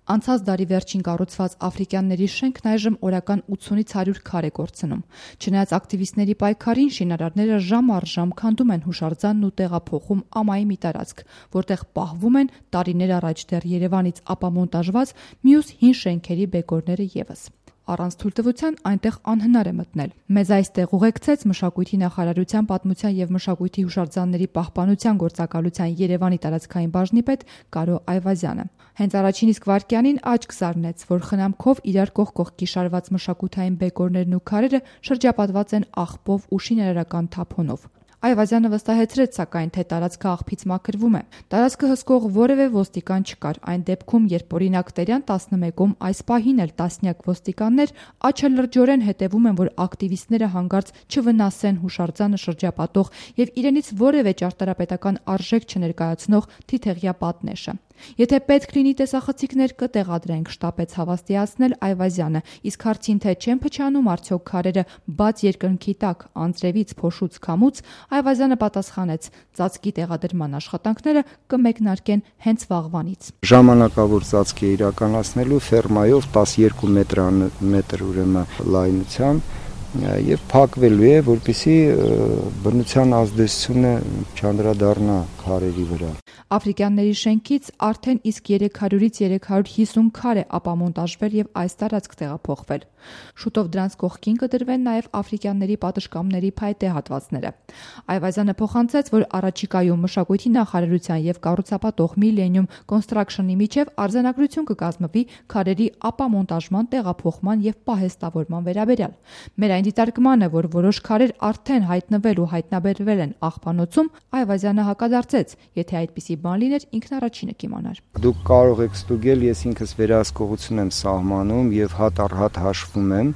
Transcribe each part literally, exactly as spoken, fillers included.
Անցած դարի վերջին կառուցված աֆրիկյանների շենքն այժմ օրական ութունից հարյուր քար է կորցնում։ Չնայած ակտիվիստների պայքարին, շինարարները ժամ առ ժամ քանդում են հուշարձանն ու տեղափոխում ամայի մի տարածք, որտեղ պահվում են տարիներ առաջ դեռ Երևանից ապամոնտաժված մյուս հին շենքերի բեկորները ևս։ Առանց թույլտվության այնտեղ անհնար է մտնել։ Մեզ այստեղ ուղեկցեց Մշակույթի նախարարության պատմության և մշակույթի հուշարձանների պահպանության գործակալության Երևանի տարածքային բաժնի պետ Կարո Այվազյանը։ Հենց առաջին իսկ վայրկյանին աչք զարնեց, որ խնամքով իրար կողք կողքի շարված մշակութային բեկորներն ու քարերը շրջապատված են աղբով ու շինարարական թափոնով։ Այվազյանը վստահեցրեց, սակայն, թե տարածքը աղբից մաքրվում է։ Տարածքը հսկող որևէ ոստիկան չկար։ Այն դեպքում, երբ օրինակ Տերյան տասնմեկում այս պահին էլ տասնյակ ոստիկաններ աչալրջորեն հետևում են, որ ակտիվիստները հանկարծ չվնասեն հուշարձանը շրջապատող եւ իրենից որևէ ճարտարապետական արժեք չներկայացնող թիթեղյա պատնեշը։ Եթե պետք լինի տեսախցիկներ կտեղադրենք, շտապեց հավաստիացնել Այվազյանը, իսկ հարցին, թե չեն փչանում արդյոք քարերը բաց երկնքի տակ, անձրևից, փոշուց, քամուց, Այվազյանը պատասխանեց. ծածկի տեղադրման աշխատանքները կմեկնարկեն հենց վաղվանից։ Ժամանակավոր ծածկ է իրականացնելու ֆերմայով տասնյոթ մետր ուրեմն լայնությամբ եւ փակվելու է, որպեսզի բնության ազդեցությունը չանդրադառնա քարերի վրա։ Աֆրիկյանների շենքից արդեն իսկ երեք հարյուրից երեք հարյուր հիսուն քար է ապամոնտաժվել եւ այս տարածք տեղափոխվել։ Շուտով դրանց կողքին կդրվեն նաեւ աֆրիկյանների պատշգամբների փայտե հատվածները։ Այվազյանը փոխանցեց, որ առաջիկայում Մշակույթի նախարարության եւ կառուցապատող Millennium Construction-ի միջև արձանագրություն կկազմվի քարերի ապամոնտաժման, տեղափոխման եւ պահեստավորման վերաբերյալ։ Մեր այն դիտարկմանը, որ որոշ քարեր արդեն հայտնվել ու հայտնաբերվել են աղբանոցում, Այվազյանը հակադարձեց, եթե այդպիսի բան լիներ, ինքն առաջինը կիմանար։ Դուք կարող եք ստուգել, ես ինքս վերահսկողություն եմ սահմանում եւ հատ առ հատ հաշվում եմ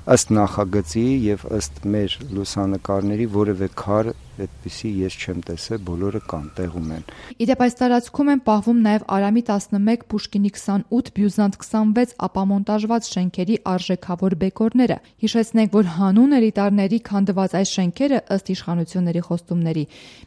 ըստ նախագծի եւ ըստ մեր լուսանկարների որևէ քար այդպիսի ես չեմ տեսել, բոլորը կան, տեղում են։ Իդեպ այս տարածքում են պահվում նաեւ Արամի տասնմեկ, Պուշկինի քսանութ, Բյուզանտ քսանվեց ապամոնտաժված շենքերի արժեքավոր բեկորները։ Հիշեցնենք, որ հանուն էլիտարների քանդված այս շենքերը ըստ իշխանությունների խոստումների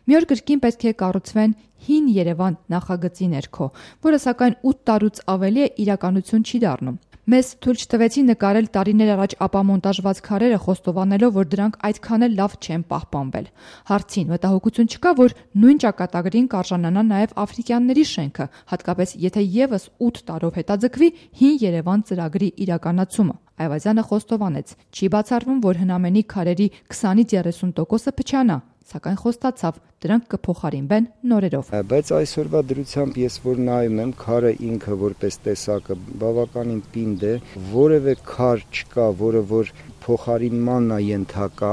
մի օր կրկին պետք է կառուցվեն Հին Երևան նախագծի ներքո, որը սակայն ութ տարուց ավելի է իրականություն չի դառնում։ Մեզ թույլ չտվեցին նկարել տարիներ առաջ ապամոնտաժված քարերը, խոստովանելով, որ դրանք այդքան էլ լավ չեն պահպանվել։ Հարցին մտահոգություն չկա, որ նույն ճակատագրին կարժանանա նաև աֆրիկյանների շենքը, հատկապես եթե եւս ութ տարով հետաձգվի Հին Երևան ծրագրի իրականացումը։ Այվազյանը խոստովանեց, չի բացառվում, որ հնամենի քարերի քսանից երեսուն տոկոսը փչանա, սակայն խոստացավ, դրանք կփոխարինվեն նորերով։ Բայց այսօրվա դրությամբ ես որ նայում եմ, քարը ինքը որպես տեսակը բավականին պինդ է, որևէ քար չկա, որը որ փոխարինմանն է ենթակա,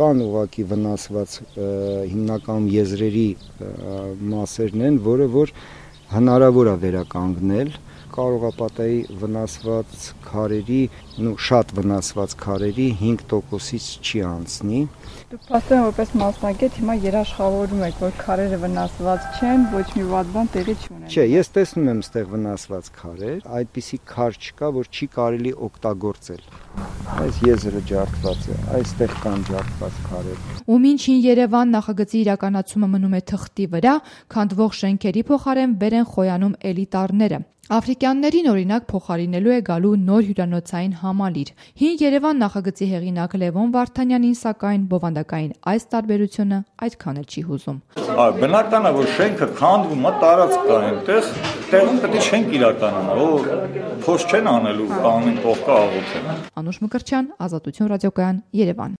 կան ուղղակի վնասված հիմնական եզրերի մասերն են, որը որ հնարավոր է վերականգնել։ Կարող է պատահի վնասված քարերի, նու շատ վնասված քարերի հինգ տոկոսից չի անցնի։ Դուք փաստորեն որպես մասնագետ հիմա երաշխավորում եք, որ քարերը վնասված չեն, ոչ մի վատ բան տեղի չունեն։ Չէ, ես տեսնում եմ ստեղ վնասված քարեր, այդպիսի քար չկա, որ չի կարելի օգտագործել։ Այս եզրը ջարդված է, այստեղ կան ջարդված քարեր։ Ու մինչ Հին Երևան նախագծի իրականացումը մնում է թղթի վրա, քանդվող շենքերի փոխարեն վեր են խոյանում էլիտարները։ Աֆրիկյաններին օրինակ փոխարինելու է գալու նոր հյուրանոցային համալիր։ Հին Երևան նախագծի հեղինակ Լևոն Վարդանյանին սակայն բովանդակային այս տարբերությունը այդքան էլ չի հուզում։ Բնական է, որ շենքը քանդվում է, տարածք կա այնտեղ, տեղում պետք է շենք իրականանա, որ փոս չեն անելու, կանին կողքը աղոթեն։ Անուշ Մկրտչյան, Ազատություն ռադիոկայան, Երևան։